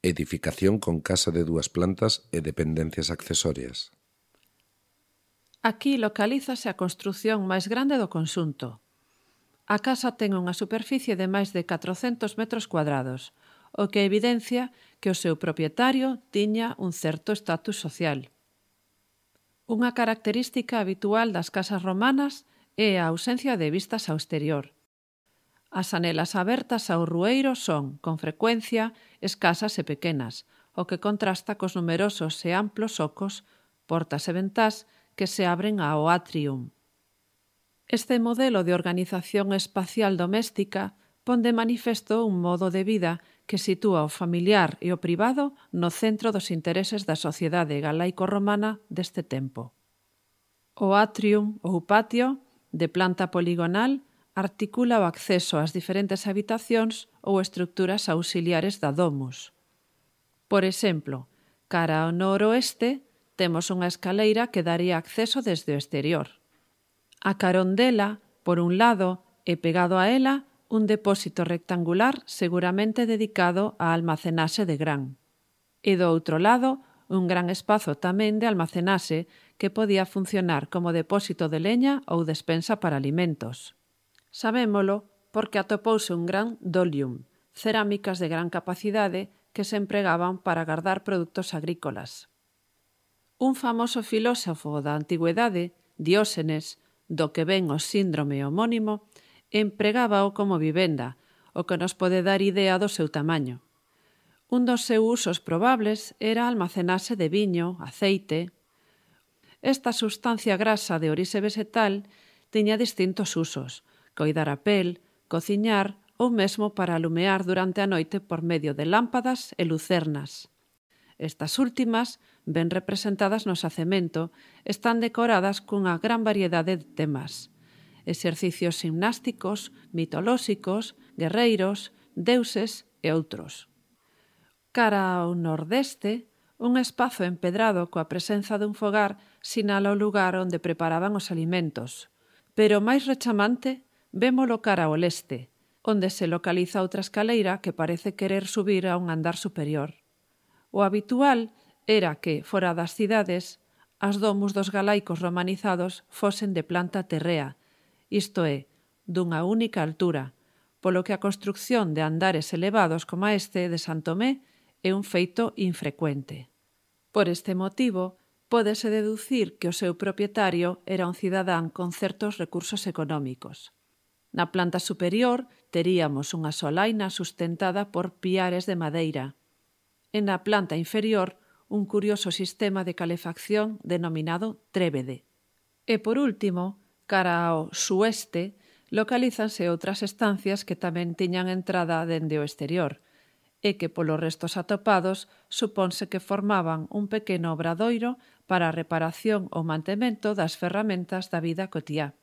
edificación con casa de 2 plantas e dependencias accesorias. Aquí localízase a construción máis grande do conxunto. A casa ten unha superficie de máis de 400 metros cuadrados, o que evidencia que o seu propietario tiña un certo estatus social. Unha característica habitual das casas romanas é a ausencia de vistas ao exterior. As anelas abertas ao rueiro son, con frecuencia, escasas e pequenas, o que contrasta cos numerosos e amplos ocos, portas e ventás que se abren ao atrium. Este modelo de organización espacial doméstica pon de manifesto un modo de vida que sitúa o familiar e o privado no centro dos intereses da sociedade galaico-romana deste tempo. O atrium ou patio, de planta poligonal, articula o acceso ás diferentes habitacións ou estructuras auxiliares da domus. Por exemplo, cara ao noroeste, temos unha escaleira que daría acceso desde o exterior. A carón dela, por un lado, e pegado a ela, un depósito rectangular seguramente dedicado á almacenaxe de gran. E do outro lado, un gran espazo tamén de almacenaxe que podía funcionar como depósito de leña ou despensa para alimentos. Sabémolo porque atopouse un gran dolium, cerámicas de gran capacidade que se empregaban para guardar produtos agrícolas. Un famoso filósofo da antigüedade, Dióxenes, do que ven o síndrome homónimo, empregábao como vivenda, o que nos pode dar idea do seu tamaño. Un dos seus usos probables era almacenarse de viño, aceite. Esta substancia grasa de orixe vegetal tiña distintos usos: coidar a pel, cociñar ou mesmo para alumear durante a noite por medio de lámpadas e lucernas. Estas últimas, ben representadas no xacemento, están decoradas cunha gran variedade de temas: exercicios gimnásticos, mitolóxicos, guerreiros, deuses e outros. Cara ao nordeste, un espazo empedrado coa presenza dun fogar sinala o lugar onde preparaban os alimentos, pero máis rechamante, vémolo cara ao leste, onde se localiza outra escaleira que parece querer subir a un andar superior. O habitual era que, fora das cidades, as domus dos galaicos romanizados fosen de planta terrea, isto é, dunha única altura, polo que a construcción de andares elevados como este de San Tomé é un feito infrecuente. Por este motivo, pódese deducir que o seu propietario era un cidadán con certos recursos económicos. Na planta superior teríamos unha solaina sustentada por piares de madeira, e na planta inferior un curioso sistema de calefacción denominado trébede. E por último, cara ao sueste, localízanse outras estancias que tamén tiñan entrada dende o exterior, e que polos restos atopados suponse que formaban un pequeno obradoiro para a reparación ou mantemento das ferramentas da vida cotiá.